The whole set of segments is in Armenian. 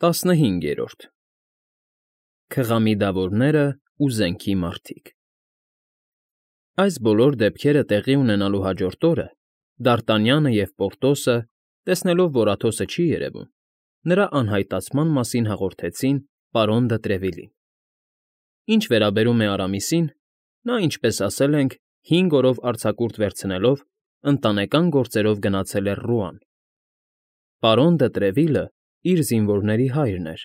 15 Քղամիդավորները ու զենքի մարդիկ Այս բոլոր դեպքերը տեղի ունենալու հաջորդ օրը Դարտանյանը և Պորտոսը, տեսնելով, որ Աթոսը չի երևում, նրա անհայտացման մասին հաղորդեցին պարոն դը Տրևիլին։ Ինչ վերաբերում է Արամիսին, նա, ինչպես ասել ենք, 5 օրով արձակուրդ վերցնելով, ընտանեկան գործերով գնացել էր Ռուան։ Պարոն դը Տրևիլը իր զինվորների հայրն էր։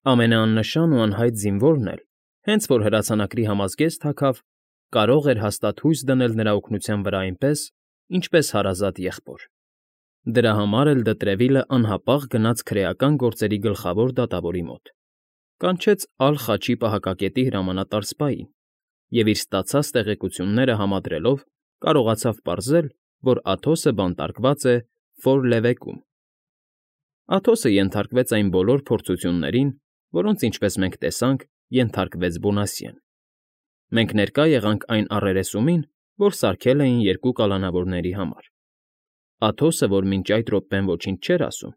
Ամենաաննշան ու անհայտ զինվորն էլ, հենց որ հրացանակրի համազգեստ հագավ, կարող էր հաստատ հույս դնել նրա օգնության վրա այնպես, ինչպես հարազատ եղբոր։ Դրա համար էլ դը Տրևիլը անհապաղ գնաց քրեական գործերի գլխավոր դատավորի մոտ, կանչեց Ալ֊Խաչի պահակակետի հրամանատար սպային և իր ստացած տեղեկությունները համադրելով կարողացավ պարզել, որ Աթոսը բանտարկված է Ֆոր Լևեկում։ Աթոսը ենթարկվեց այն բոլոր փորձություններին, որոնց, ինչպես մենք տեսանք, ենթարկվեց Բոնասիեն։ Մենք ներկա եղանք այն առերեսումին, որ սարքել էին երկու կալանավորների համար։ Աթոսը, որ մինչ այդ րոպեն ոչինչ չէր ասում,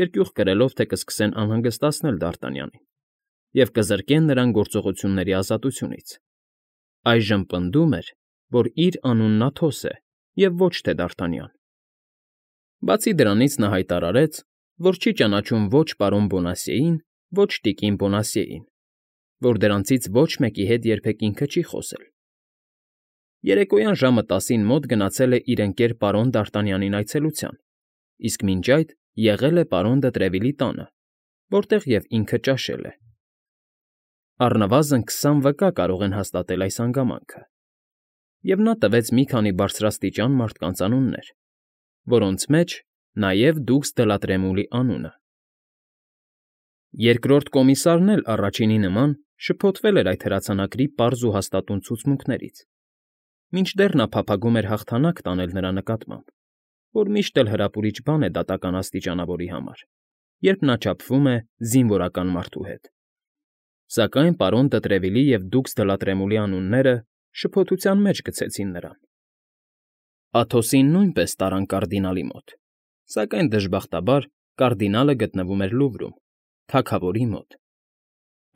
երկյուղ կրելով, թե կսկսեն անհանգստացնել Դարտանյանին և կզրկեն նրան գործողությունների ազատությունից, այժմ պնդում էր, որ իր անունն Աթոս է և ոչ թե Դարտանյան։ Բացի դրանից նա հայտարարեց, որ չի ճանաչում ոչ պարոն Բոնասիեին, ոչ տիկին Բոնասիեին, որ դրանցից ոչ մեկի հետ երբեք ինքը չի խոսել։ Երեկոյան ժամը 10-ին մոտ գնացել է իր ընկեր պարոն Դարտանյանին այցելության, իսկ մինչ այդ եղել է պարոն դը Տրևիլի տանը, որտեղ և ինքը ճաշել է։ Առնվազն 20 վկա կարող են հաստատել այս հանգամանքը, և նա տվեց մի քանի բարձրաստիճան մարդկանց անուններ, որոնց մեջ նաև դուքս Դլատրեմուլի անունը։ Երկրորդ կոմիսարն էլ առաջինի նման շփոթվել էր այդ հրացանակրի պարզ ու հաստատուն ցուցմունքներից, մինչդեռ նա փափագում էր հաղթանակ տանել նրա նկատմամբ, որ միշտ էլ հրապուրիչ բան է դատական աստիճանավորի համար, երբ նա չափվում է զինվորական մարդու հետ։ Սակայն պարոն դը Տրևիլի և դուքս Դլատրեմուլի անունները շփոթության մեջ գցեցին նրան։ Աթոսին նույնպես տարան կարդինալի մոտ, սակայն դժբախտաբար կարդինալը գտնվում էր Լուվրում, թագավորի մոտ։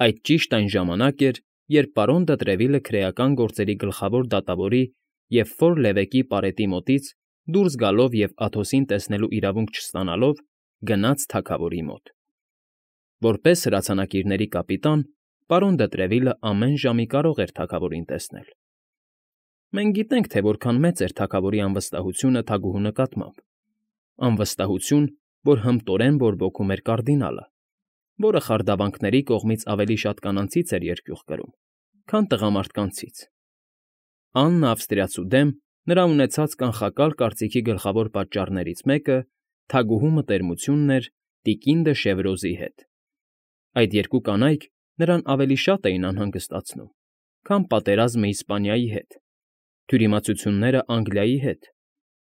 Այդ ճիշտ այն ժամանակ էր, երբ պարոն դը Տրևիլը քրեական գործերի գլխավոր դատավորի և Ֆոր Լևեկի պարետի մոտից դուրս գալով և Աթոսին տեսնելու իրավունք չստանալով, գնաց թագավորի մոտ։ Որպես հրացանակիրների կապիտան, պարոն դը Տրևիլը ամեն ժամի կարող էր թագավորին տեսնել։ Մենք գիտենք, թե որքան մեծ էր թագավորի անվստահությունը թագուհու նկատմամբ, անվստահություն, որ հմտորեն բորբոքում էր կարդինալը, որը խարդավանքների կողմից ավելի շատ կանանցից էր երկյուղ կրում, քան տղամարդկանցից։ Աննա Ավստրիացու դեմ նրա ունեցած կանխակալ կարծիքի գլխավոր պատճառներից մեկը թագուհու մտերմությունն էր տիկին դը Շևրոզի հետ։ Այդ երկու կանայք նրան ավելի շատ էին անհանգստացնում, քան պատերազմը Իսպանիայի հետ, թյուրիմացությունները Անգլիայի հետ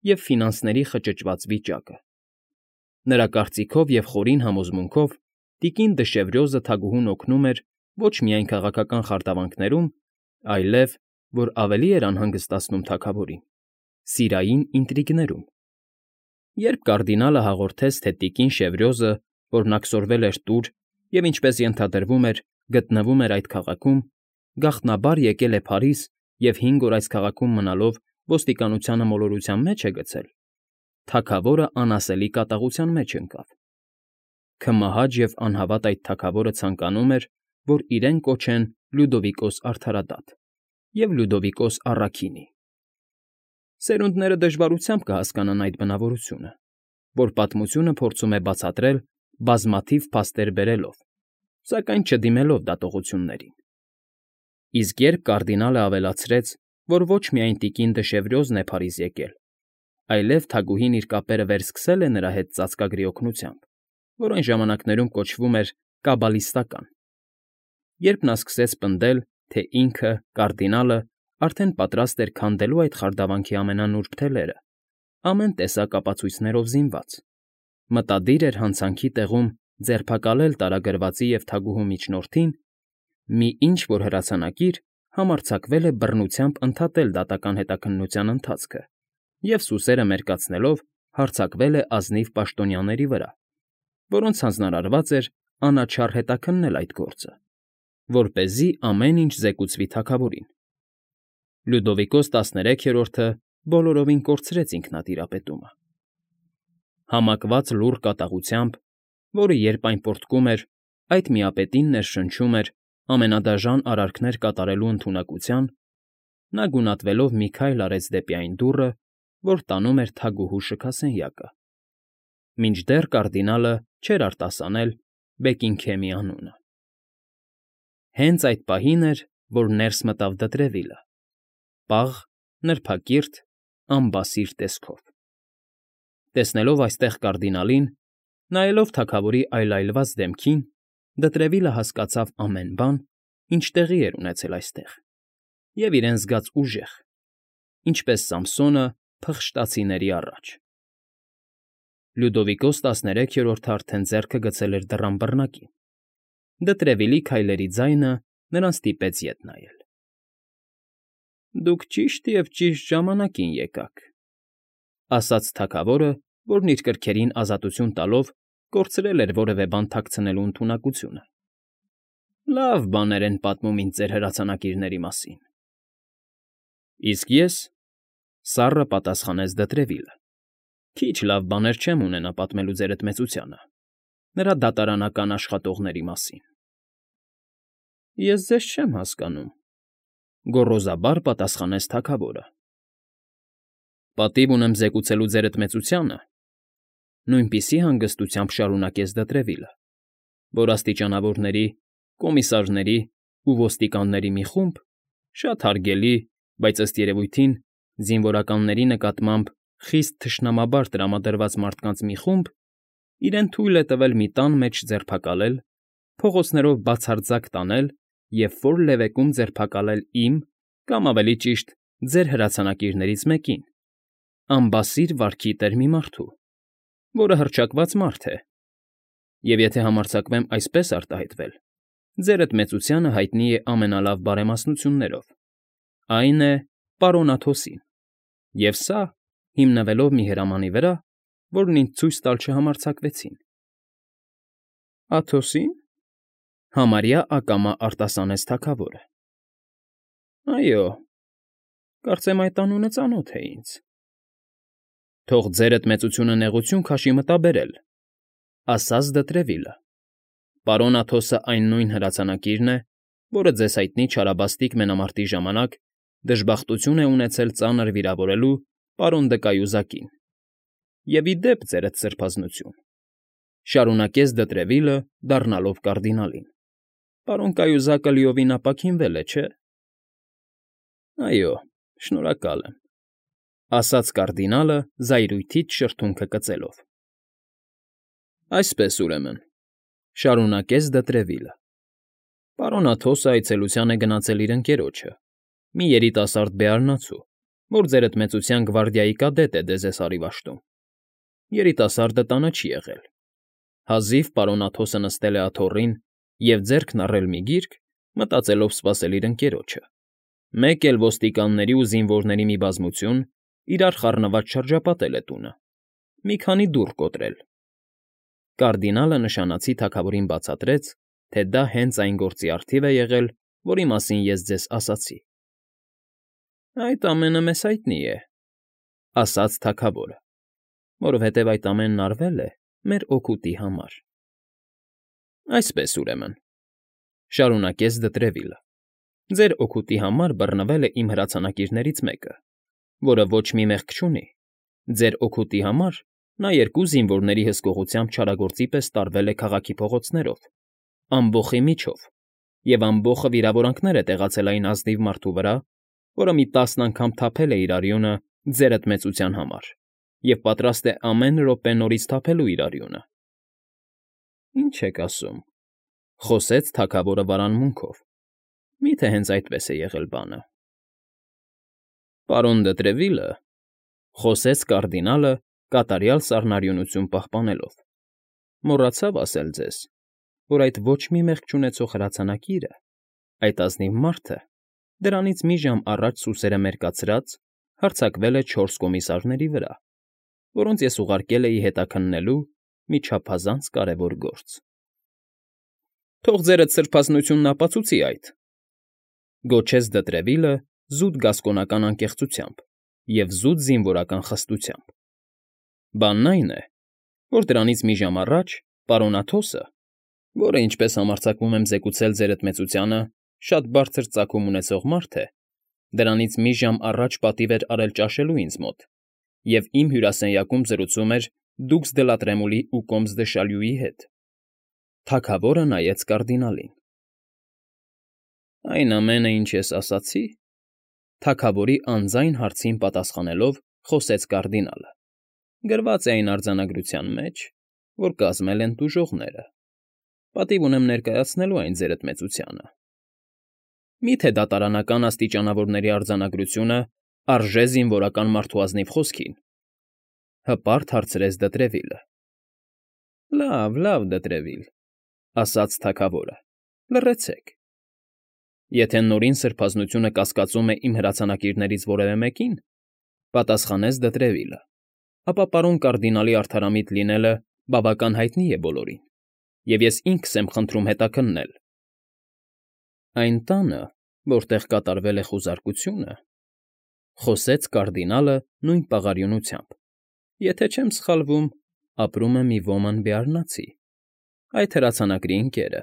և ֆինանսների խճճված վիճակը։ Նրա կարծիքով և խորին համոզմունքով տիկին դը Շևրոզը թագուհուն օգնում էր ոչ միայն քաղաքական խարդավանքներում, այլև, որ ավելի էր անհանգստացնում թագավորին, սիրային ինտրիգներում։ Երբ կարդինալը հաղորդեց, թե տիկին Շևրոզը, որն աքսորվել էր տուր և, ինչպես ենթադրվում էր, գտնվում էր այդ քաղաքում, գաղտնաբար եկել է Փարիզ և 5 օր այս քաղաքում մնալով ոստիկանությանը մոլորության մեջ է գցել, թագավորը անասելի կատաղության մեջ ընկավ։ Քմահաճ և անհավատ այդ թագավորը ցանկանում էր, որ իրեն կոչեն Լյուդովիկոս արդարադատ և Լյուդովիկոս առաքինի։ Սերունդները դժվարությամբ կհասկանան այդ բնավորությունը, որ պատմությունը փորձում է բացատրել բազմաթիվ փաստեր բերելով, սակայն չդիմելով դատողություններին։ Իսկ երբ կարդինալը ավելացրեց, որ ոչ միայն տիկին դը Շևրոզն է Փարիզ եկել, այլև թագուհին իր կապերը վերսկսել է նրա հետ ծածկագրի օգնությամբ, որ այն ժամանակներում կոչվում էր կաբալիստական։ Երբ նա սկսեց պնդել, թե ինքը, կարդինալը, արդեն պատրաստ էր քանդելու այդ խարդավանքի ամենանուրբ թելերը, ամեն տեսակ ապացույցներով զինված, մտադիր էր հանցանքի տեղում ձերբակալել տարագրվածի և թագուհու միջնորդին, մի ինչ֊որ հրացանակիր համարձակվել է բռնությամբ ընդհատել դատական հետաքննության ընթացքը և, սուսերը մերկացնելով, հարձակվել է ազնիվ պաշտոնյաների վրա, որոնց հանձնարարված էր անաչառ հետաքննել այդ գործը, որպեսզի ամեն ինչ զեկուցվի թագավորին։ Լյուդովիկոս 13-րդը բոլորովին կորցրեց ինքնատիրապետումը։ Համակված լուռ կատաղությամբ, որը երբ այն պոռթկում էր, այդ միապետին ներշնչում էր ամենադաժան արարքներ կատարելու ընդունակության, նա գունատվելով մի քայլ արեց դեպի այն դուռը, որ տանում էր թագուհու շքասենյակը, մինչդեռ կարդինալը չէր արտասանել Բեկինգհեմի անունը։ Հենց այդ պահին էր, որ ներս մտավ Դետրևիլը, պաղ, նրբակիրթ, անբասիր տեսքով։ Տեսնելով այստեղ կարդինալին, նայելով թագավորի այլայլված դեմքին, Դետրևիլը հասկացավ ամեն բան, ինչ տեղի էր ունեցել այստեղ, և իրեն զգաց ուժեղ, ինչպես Սամսոնը փղշտացիների առաջ։ Լյուդովիկոս 13-րդը արդեն ձեռքը գցել էր դռան բռնակին։ Դետրևիլի քայլերի ձայնը նրան ստիպեց ետ նայել։ «Դուք ճիշտ և ճիշտ ժամանակին եկաք», ասաց թագավորը, որն իր կրքերին ազատություն տալով կորցրել էր որևէ բան թաքցնելու ընդունակությունը։ «Լավ բաներ են պատմում ինձ ձեր հրացանակիրների մասին»։ «Իսկ ես,֊ սառը պատասխանեց Դետրևիլը,֊ քիչ լավ բաներ չեմ ունենա պատմելու ձերդ մեծությանը, նրա դատարանական աշխատողների մասին»։ «Ես ձեզ չեմ հասկանում,֊ գոռոզաբար պատասխանեց թագավորը։ «Պատիվ ունեմ զեկուցելու ձերդ մեծությանը,֊ նույնպիսի հանգստությամբ շարունակեց Դետրևիլը,֊ որ աստիճանավորների, կոմիսարների ու ոստիկանների մի խումբ, շատ հարգելի, բայց, ըստ երևույթին, զինվորականների նկատմամբ խիստ թշնամաբար տրամադրված մարդկանց մի խումբ իրեն թույլ է տվել մի տան մեջ ձերբակալել, փողոցներով բացարձակ տանել և որ լևեկում ձերբակալել իմ, կամ ավելի ճիշտ, ձեր հրացանակիրներից մեկին, անբասիր վարքի տեր մի մարդու, որը հռչակված մարդ է, և եթե համարձակվեմ այսպես արտահայտվել, ձերդ մեծությանը հայտնի է ամենալավ բարեմասնություններով, այն է պարոն Աթոսին, և սա հիմնվելով մի հրամանի վրա, որն ինձ ցույց տալ չհամարձակվեցին»։ «Աթոսի՞ն,֊ համարյա ակամա արտասանեց թագավորը։ «Այո, կարծեմ այդ անունը ծանոթ է ինձ»։ «Թող ձերդ մեծությունը նեղություն քաշի մտաբերել,֊ ասաց Դետրևիլը,֊ պարոն Աթոսը այն նույն հրացանակիրն է, որը ձեզ հայտնի չարաբաստիկ մենամարտի ժամանակ դժբախտություն է ունեցել ծանր վիրավորելու պարոն Դը Կայուզակին։ Եվ ի դեպ, ձերդ սրբազնություն,֊ շարունակեց Դետրևիլը, դառնալով կարդինալին,֊ պարոն Կայուզակը լիովին ապաքինվել է, չէ՞։ «Այո, շնորհակալ եմ,֊ ասաց կարդինալը զայրույթից շրթունքը կծելով։ «Այսպես, ուրեմն,֊ շարունակեց Դետրևիլը,֊ պարոն Աթոսը այցելության է գնացել իր ընկերոջը, մի երիտասարդ բեարնացու, որ ձերդ մեծության գվարդիայի կադետ է Դեզեսարի վաշտում։ Երիտասարդը տանը չի եղել։ Հազիվ պարոն Աթոսը նստել է աթոռին և ձեռքն առել մի գիրք, մտածելով սպասել իր ընկերոջը, մեկ էլ ոստիկանների ու զինվորների մի բազմություն իրար խառնված շրջապատել է տունը, մի քանի դուռ կոտրել։ Կարդինալը նշանացի թագավորին բացատրեց, թե դա հենց այն գործի առթիվ է եղել, որի մասին ես ձեզ ասացի։ «Այդ ամենը մեզ հայտնի է,֊ ասաց թագավորը,֊ որովհետև այդ ամենն արվել է մեր օգուտի համար»։ «Այսպես, ուրեմն,֊ շարունակեց Դետրևիլը,֊ ձեր օգուտի համար բռնվել է իմ հրացանակիրներից մեկը, որը ոչ մի մեղք չունի։ Ձեր օգուտի համար նա երկու զինվորների հսկողությամբ չարագործի պես տարվել է քաղաքի փողոցներով, ամբոխի միջով, և ամբոխը վիրավորանքներ է տեղացել այն ազնիվ մարդու վրա, որը մի 10 անգամ թափել է իր արյունը ձերդ մեծության համար և պատրաստ է ամեն րոպե նորից թափելու իր արյունը»։ «Ինչ եք ասում,֊ խոսեց թագավորը վարանմունքով,֊ մի՞թե հենց այդպես է եղել բանը»։ «Պարոն Դետրևիլը,֊ խոսեց կարդինալը կատարյալ սառնարյունություն պահպանելով,֊ մոռացավ ասել ձեզ, որ այդ ոչ մի մեղք չունեցող հրացանակիրը, այդ ազնիվ մարդը, դրանից մի ժամ առաջ սուսերը մերկացրած, հարձակվել է 4 կոմիսարների վրա, որոնց ես ուղարկել էի հետաքննելու մի չափազանց կարևոր գործ։ Թող ձերդ սրբազնությունն ապացուցի այդ,֊ գոչեց Դետրևիլը զուտ գասկոնական անկեղծությամբ և զուտ զինվորական խստությամբ։ Բանն այն է, որ դրանից մի ժամ առաջ պարոն Աթոսը, որը, ինչպես համարձակվում եմ զեկուցել ձերդ մեծությանը, շատ բարձր ծագում ունեցող մարդ է, դրանից մի ժամ առաջ պատիվ էր արել ճաշելու ինձ մոտ և իմ հյուրասենյակում զրուցում էր դուքս դե լա Տրեմուլի ու Կոմս դե Շալյուի հետ։ Թագավորը նայեց կարդինալին։ Այն ամենը, ինչ ես ասացի,֊ թագավորի անձայն հարցին պատասխանելով խոսեց կարդինալը,֊ գրված է այն արձանագրության մեջ, որ կազմել են տուժողները։ Պատիվ ունեմ ներկայացնելու այն ձերդ մեծությանը։ Մի՞թե դատարանական աստիճանավորների արձանագրությունը արժե զինվորական մարդու ազնիվ խոսքին,֊ հպարտ հարցրեց Դետրևիլը։ Լավ, Դետրևիլ,֊ ասաց թագավորը,֊ լռեցեք։ Եթե Նորին Սրբազնությունը կասկածում է իմ հրացանակիրներից որևէ մեկին,֊ պատասխանեց Դետրևիլը,֊ ապա պարոն կարդինալի արդարամիտ լինելը բավական հայտնի է բոլորին, և ես ինքս եմ խնդրում հետաքննել։ Այն տանը, որտեղ կատարվել է խուզարկությունը,֊ խոսեց կարդինալը նույն պաղարյունությամբ,֊ եթե չեմ սխալվում, ապրում է մի ոման բեարնացի, այդ հրացանակրի ընկերը։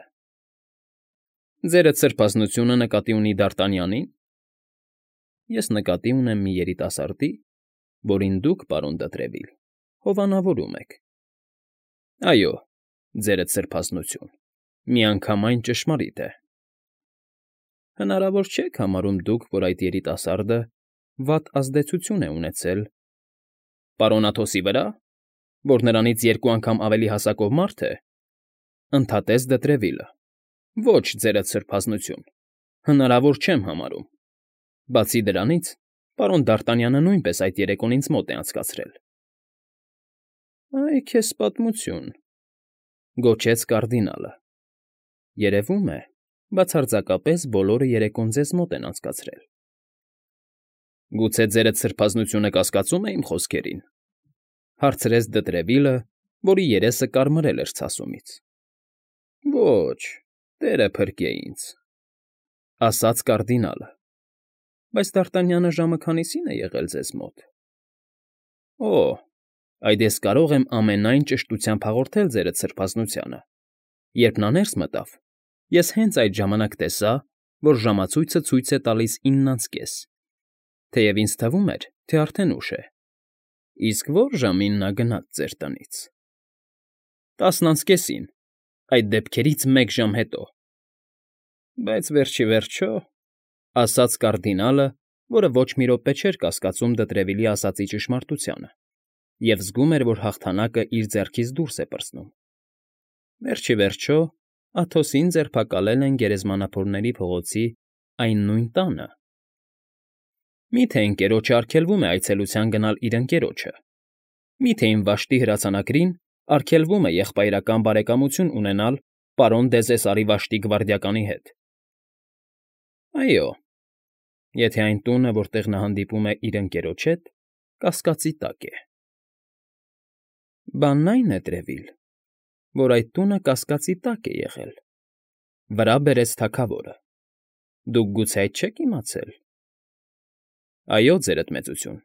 Ձերդ սրբազնությունը նկատի ունի Դարտանյանի՞ն։ Ես նկատի ունեմ մի երիտասարդի, որին դուք, պարոն Դետրևիլ, հովանավորում եք։ Այո, ձերդ սրբազնություն, միանգամայն ճշմարիտ է։ Հնարավոր չեք համարում դուք, որ այդ երիտասարդը վատ ազդեցություն է ունեցել… Պարոն Աթոսի վրա, որ նրանից երկու անգամ ավելի հասակով մարդ է,֊ ընդհատեց Դետրևիլը,֊ ոչ, ձերդ սրբազնություն, հնարավոր չեմ համարում։ Բացի դրանից, պարոն Դարտանյանը նույնպես այդ երեկոն ինձ մոտ է անցկացրել։ Այ քեզ պատմություն,֊ գոչեց կարդինալը,֊ երևում է, բացարձակապես բոլորը երեկոն ձեզ մոտ են անցկացրել։ Գուցե ձերդ սրբազնությունը կասկածում է իմ խոսքերին,֊ հարցրեց Դետրևիլը, որի երեսը կարմրել էր ցասումից։ Ոչ, տերը փրկե ինձ,֊ ասաց կարդինալը,֊ բայց Դարտանյանը ժամը քանիսին է եղել ձեզ մոտ։ Օ, այդ ես կարող եմ ամենայն ճշտությամբ հաղորդել ձերդ սրբազնությանը։ Երբ նա ներս մտավ, ես հենց այդ ժամանակ տեսա, որ ժամացույցը ցույց է տալիս 9:30, թեև ինձ թվում էր, թե արդեն ուշ է։ Իսկ ո՞ր ժամին նա գնաց ձեր տնից։ 10:30, այդ դեպքերից մեկ ժամ հետո։ Բայց վերջիվերջո,֊ ասաց կարդինալը, որը ոչ մի րոպե չէր կասկածում Դետրևիլի ասածի ճշմարտությանը և զգում էր, որ հաղթանակը իր ձեռքից դուրս է պրծնում,֊ վերջիվերջո Աթոսին ձերբակալել են Գերեզմանափորների փողոցի այն նույն տանը։ Մի՞թե ընկերոջը արգելվում է այցելության գնալ իր ընկերոջը։ Մի՞թե իմ վաշտի հրացանակրին արգելվում է եղբայրական բարեկամություն ունենալ պարոն Դեզեսարի վաշտի գվարդիականի հետ։ Այո, եթե այն տունը, որտեղ նա հանդիպում է իր ընկերոջ հետ, կասկածի տակ է։ Բանն այն է, Տրևիլ, որ այդ տունը կասկածի տակ է եղել,֊ վրա բերեց թագավորը։ Դուք գուցե այդ չեք իմացել։ Այո, ձերդ մեծություն,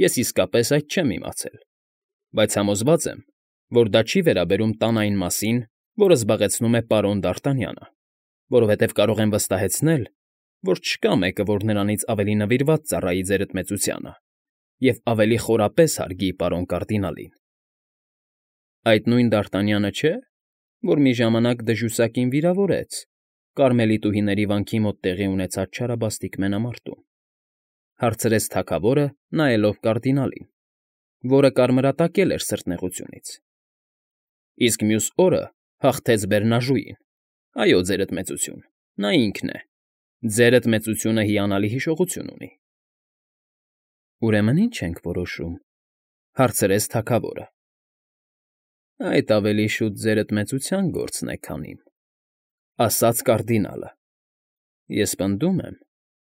ես իսկապես այդ չեմ իմացել, բայց համոզված եմ, որ դա չի վերաբերում տան այն մասին, որը զբաղեցնում է պարոն Դարտանյանը, որովհետև կարող եմ վստահեցնել, որ չկա մեկը, որ նրանից ավելի նվիրված ծառայի ձերդ մեծությանը և ավելի խորապես հարգի պարոն կարդինալին։ Այդ նույն Դարտանյանը չէ, որ մի ժամանակ դժուսակին վիրավորեց Կարմելիտուհիների վանքի մոտ տեղի ունեցած չարաբաստիկ մենամարտում,֊ հարցրեց թագավորը, նայելով կարդինալին, որը կարմրատակել էր սրտնեղությունից։ Իսկ մյուս օրը հաղթեց Բերնաժուին։ Այո, ձերդ մեծություն, նա ինքն է։ Ձերդ մեծությունը հիանալի հիշողություն ունի։ Ուրեմն ի՞նչ ենք որոշում,֊ հարցրեց թագավորը։ Այդ ավելի շուտ ձերդ մեծության գործն է, քան իմ,֊ ասաց կարդինալը։ Ես պնդում եմ,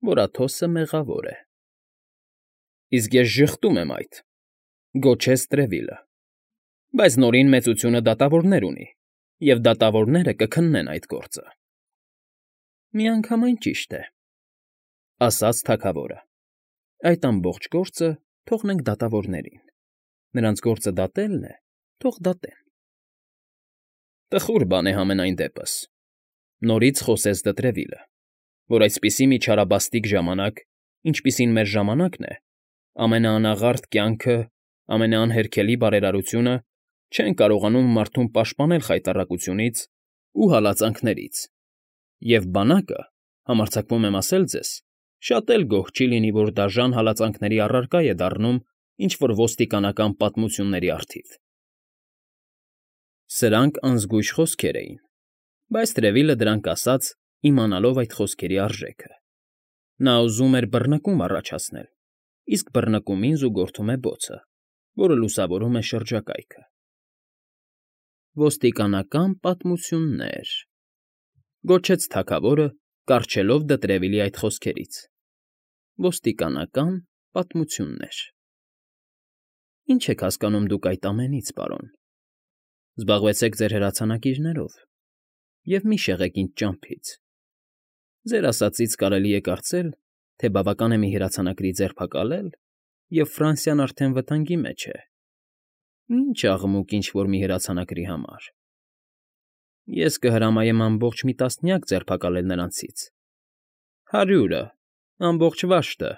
որ Աթոսը մեղավոր է։ Իսկ ես ժխտում եմ այդ,֊ գոչեց Տրևիլը։ Բայց Նորին մեծությունը դատավորներ ունի, և դատավորները կքննեն այդ գործը։ Միանգամայն ճիշտ է, ասաց թագավորը։ Այդ ամբողջ գործը թողնենք դատավորներին. նրանց գործը դատելն է, թող դատեն։ Տխուր բան է համենայն դեպս, նորից խոսեց Դտրևիլը, որ այսպիսի մի չարաբաստիկ ժամանակ, ինչպիսին մեր ժամանակն է, ամենաանաղարտ կյանքը, ամենաանհերքելի բարերարությունը չեն կարողանում մարդուն պաշտպանել խայտառակությունից ու հալածանքներից, և բանակը, համարձակվում եմ ասել ձեզ, շատ էլ գոհ չի լինի, որ դաժան հալածանքների առարկա է դառնում ինչ֊որ ոստիկանական պատմությունների առթիվ։ Սրանք անզգույշ խոսքեր էին, բայց Տրևիլը դրանք ասաց, իմանալով այդ խոսքերի արժեքը։ Նա ուզում էր բռնկում առաջացնել, իսկ բռնկումին զուգորդում է բոցը, որը լուսավորում է շրջակայքը։ Ոստիկանական պատմություններ, գոչեց թագավորը, կառչելով Դտրևիլի այդ խոսքերից։ Ոստիկանական պատմություններ։ Ինչ եք հասկանում դուք այդ ամենից, պարոն։ Զբաղվեցեք ձեր հրացանակիրներով և մի շեղեք ինձ ճամփից։ Ձեր ասածից կարելի է կարծել, թե բավական է մի հրացանակրի ձերբակալել, և Ֆրանսիան արդեն վտանգի մեջ է։ Ինչ աղմուկ ինչ֊որ մի հրացանակրի համար։ Ես կհրամայեմ ամբողջ մի տասնյակ ձերբակալել նրանցից, 100-ը, ամբողջ վաշտը,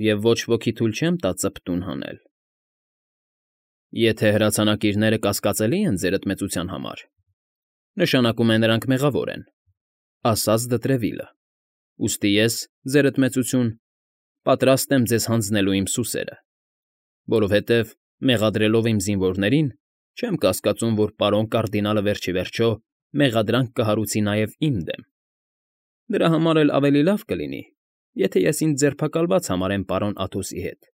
և ոչ ոքի թույլ չեմ տա ծպտուն հանել։ Եթե հրացանակիրները կասկածելի են ձերդ մեծության համար, նշանակում է նրանք մեղավոր են, ասաց Դտրևիլը։ Ուստի ես, ձերդ մեծություն, պատրաստ եմ ձեզ հանձնելու իմ սուսերը, որովհետև, մեղադրելով իմ զինվորներին, չեմ կասկածում, որ պարոն կարդինալը վերջիվերջո մեղադրանք կհարուցի նաև իմ դեմ։ Դրա համար էլ ավելի լավ կլինի, եթե ես ինձ ձերբակալված համարեմ պարոն Աթոսի հետ,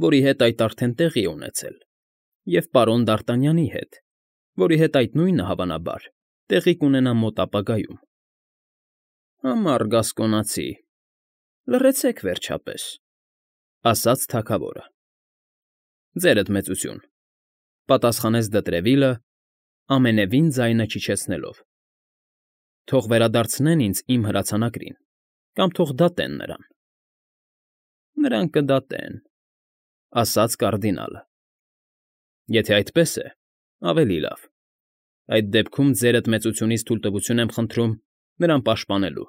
որի հետ այդ արդեն տեղի է ունեցել, և պարոն Դարտանյանի հետ, որի հետ այդ նույնը, հավանաբար, տեղի կունենա մոտ ապագայում։ Ամառ գասկոնացի, լռեցեք վերջապես, ասաց թագավորը։ Ձերդ մեծություն, պատասխանեց Դտրևիլը, ամենևին ձայնը չիջեցնելով։ Թող վերադարձնեն ինձ իմ հրացանակրին, կամ թող դատեն նրան։ Նրան կդատեն, ասաց կարդինալը։ Եթե այդպես է, ավելի լավ։ Այդ դեպքում ձերդ մեծությունից թույլտվություն եմ խնդրում նրան պաշտպանելու։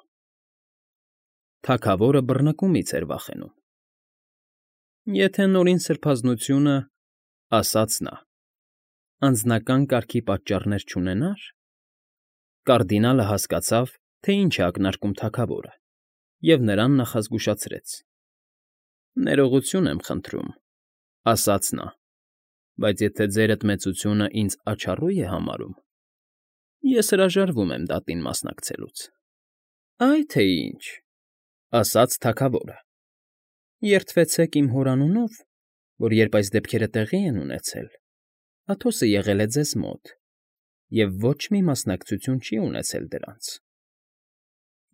Թագավորը բռնկումից էր վախենում։ Եթե Նորին սրբազնությունը, ասաց նա, անձնական կարգի պատճառներ չունենար, կարդինալը հասկացավ, թե ինչ է ակնարկում թագավորը, և նրան նախազգուշացրեց։ Ներողություն եմ խնդրում, ասաց նա, բայց եթե ձերդ մեծությունը ինձ աչառու է համարում, ես հրաժարվում եմ դատին մասնակցելուց։ Այ թե ինչ, ասաց թագավորը։ Երդվեցեք իմ հոր անունով, որ երբ այս դեպքերը տեղի են ունեցել, Աթոսը եղել է ձեզ մոտ և ոչ մի մասնակցություն չի ունեցել դրանց։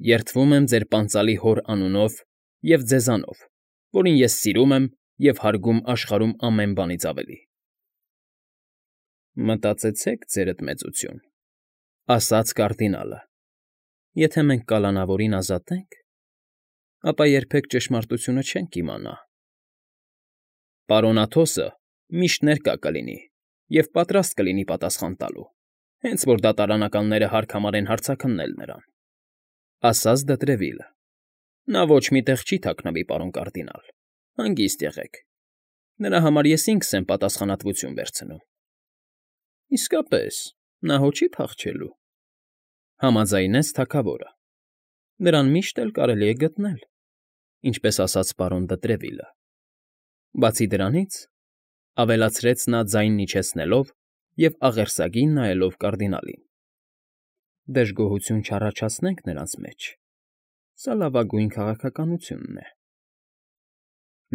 Երդվում եմ ձեր պանծալի հոր անունով և ձեզանով, որին ես սիրում եմ և հարգում աշխարհում ամեն բանից ավելի։ Մտածեցեք, ձերդ մեծություն, ասաց կարդինալը, եթե մենք կալանավորին ազատենք, ապա երբեք ճշմարտությունը չենք իմանա։ Պարոն Աթոսը միշտ ներկա կլինի և պատրաստ կլինի պատասխան տալու, հենց որ դատարանականները հարկ համարեն հարցաքննել նրան, ասաց Դտրևիլը։ Նա ոչ մի տեղ չի թաքնվի, պարոն կարդինալ, հանգիստ եղեք։ Նրա համար ես ինքս եմ պատասխանատվություն վերցնում։ Իսկապես, նա հո չի փախչելու, համաձայնեց թագավորը։ Նրան միշտ էլ կարելի է գտնել, ինչպես ասաց պարոն Դտրևիլը։ Բացի դրանից, ավելացրեց նա ձայնն իջեցնելով և աղերսագին նայելով կարդինալին, դժգոհություն չառաջացնենք նրանց մեջ, սա լավագույն քաղաքականությունն է։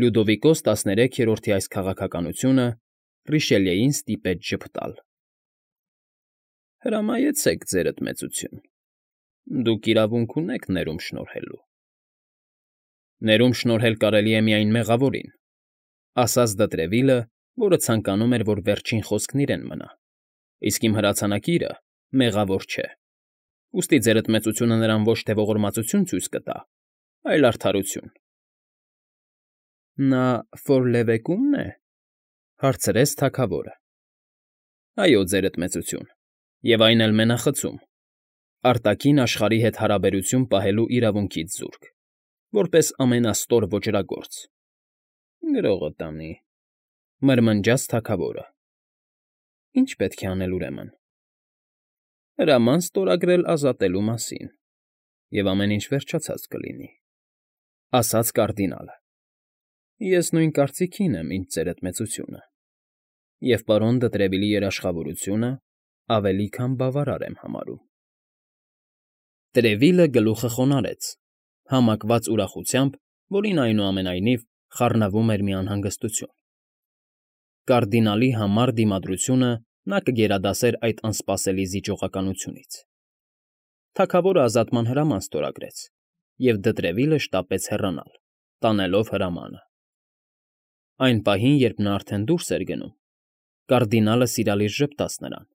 Լյուդովիկոս 13-րդի այս քաղաքականությունը Ռիշելիեին ստիպեց ժպտալ։ Հրամայեցեք, ձերդ մեծություն, դուք իրավունք ունեք ներում շնորհելու։ Ներում շնորհել կարելի է միայն մեղավորին, ասաց Դտրևիլը որը ցանկանում էր, որ վերջին խոսքն իրեն մնա, իսկ իմ հրացանակիրը մեղավոր չէ, ուստի ձերդ մեծությունը նրան ոչ թե ողորմածություն ցույց կտա, այլ արդարություն։ ֊ Նա Ֆորլևեկումն է,֊ հարցրեց թագավորը։ ֊ Այո, ձերդ մեծություն, և այն էլ մենախցում, արտաքին աշխարհի հետ հարաբերություն պահելու իրավունքից զուրկ, որպես ամենաստոր ոճրագործ։ ֊ Գրողը տանի,֊ մրմնջաց թագավորը։ ֊ Ի՞նչ պետք է անել, ուրեմն։ ֊ Հրաման ստորագրել ազատելու մասին, և ամեն ինչ վերջացած կլինի,֊ ասաց կարդինալը։ ֊ Ես նույն կարծիքին եմ, ինչ ձերդ մեծությունը, և պարոն Դտրևիլի երաշխավորությունը ավելի քան բավարար եմ համարում։ Տրևիլը գլուխը խոնարհեց, համակված ուրախությամբ, որին, այնուամենայնիվ, խառնվում էր մի անհանգստություն. կարդինալի համառ դիմադրությունը նա կգերադասեր այդ անսպասելի զիջողականությունից։ Թագավորը ազատման հրաման ստորագրեց, և Դտրևիլը շտապեց հեռանալ, տանելով հրամանը։ Այն պահին, երբ նա արդեն դուրս էր գնում, կարդինալը սիրալիր ժպտաց նրան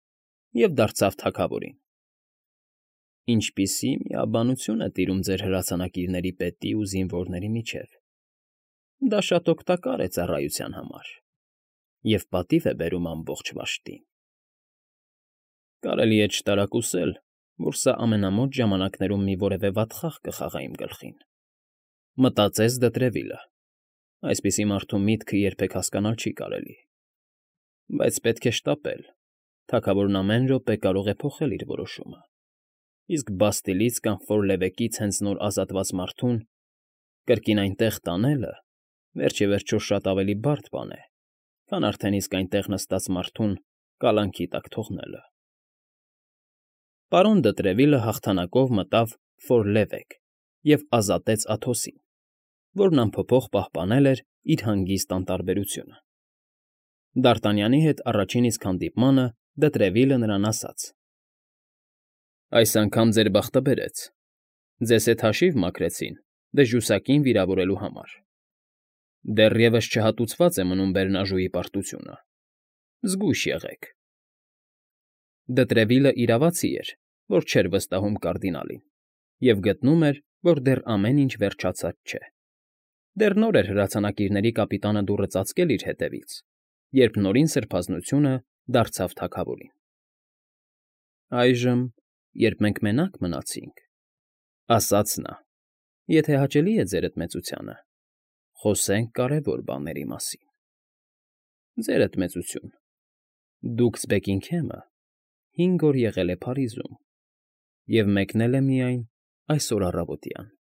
և դարձավ թագավորին. ֊ Ինչպիսի միաբանություն է տիրում ձեր հրացանակիրների պետի ու զինվորների միջև… Դա շատ օգտակար է ծառայության համար և պատիվ է բերում ամբողջ վաշտին։ Կարելի է չտարակուսել, որ սա ամենամոտ ժամանակներում մի որևէ վատ խաղ կխաղա իմ գլխին,֊ մտածեց Դտրևիլը. այսպիսի մարդու միտքը երբեք հասկանալ չի կարելի։ Բայց պետք է շտապել, թագավորն ամեն րոպե կարող է փոխել իր որոշումը, իսկ Բաստիլից կամ Ֆորլևեկից հենց նոր ազատված մարդուն կրկին այնտեղ տանելը վերջիվերջո շատ ավելի բարդ բան է, քան արդեն իսկ այնտեղ նստած մարդուն կալանքի տակ թողնելը։ Պարոն Դտրևիլը հաղթանակով մտավ Ֆորլևեկ և ազատեց Աթոսին, որն անփոփոխ պահպանել էր իր հանգիստ անտարբերությունը։ Դարտանյանի հետ առաջին իսկ հանդիպմանը Դտրևիլը նրան ասաց. ֊ Այս անգամ ձեր բախտը բերեց. ձեզ հետ հաշիվ մաքրեցին դժուսակին վիրավորելու համար։ Դեռևս չհատուցված է մնում բեռնաժուի պարտությունը. զգույշ եղեք։ Դտրևիլը իրավացի էր, որ չէր վստահում կարդինալին, և գտնում էր, որ դեռ ամեն ինչ վերջացած չէ։ Դեռ նոր էր հրացանակիրների կապիտանը դուռը ծածկել իր հետևից, երբ նորին սրբազնությունը դարձավ թագավորին։ ֊ Այժմ, երբ մենք մենակ մնացինք,֊ ասաց նա,֊ եթե հաճելի է ձերդ մեծությանը, խոսենք կարևոր բաների մասին։ Ձերդ մեծություն, դուքս Բեքինգհեմը 5 օր եղել է Փարիզում և մեկնել է միայն այսօր առավոտյան։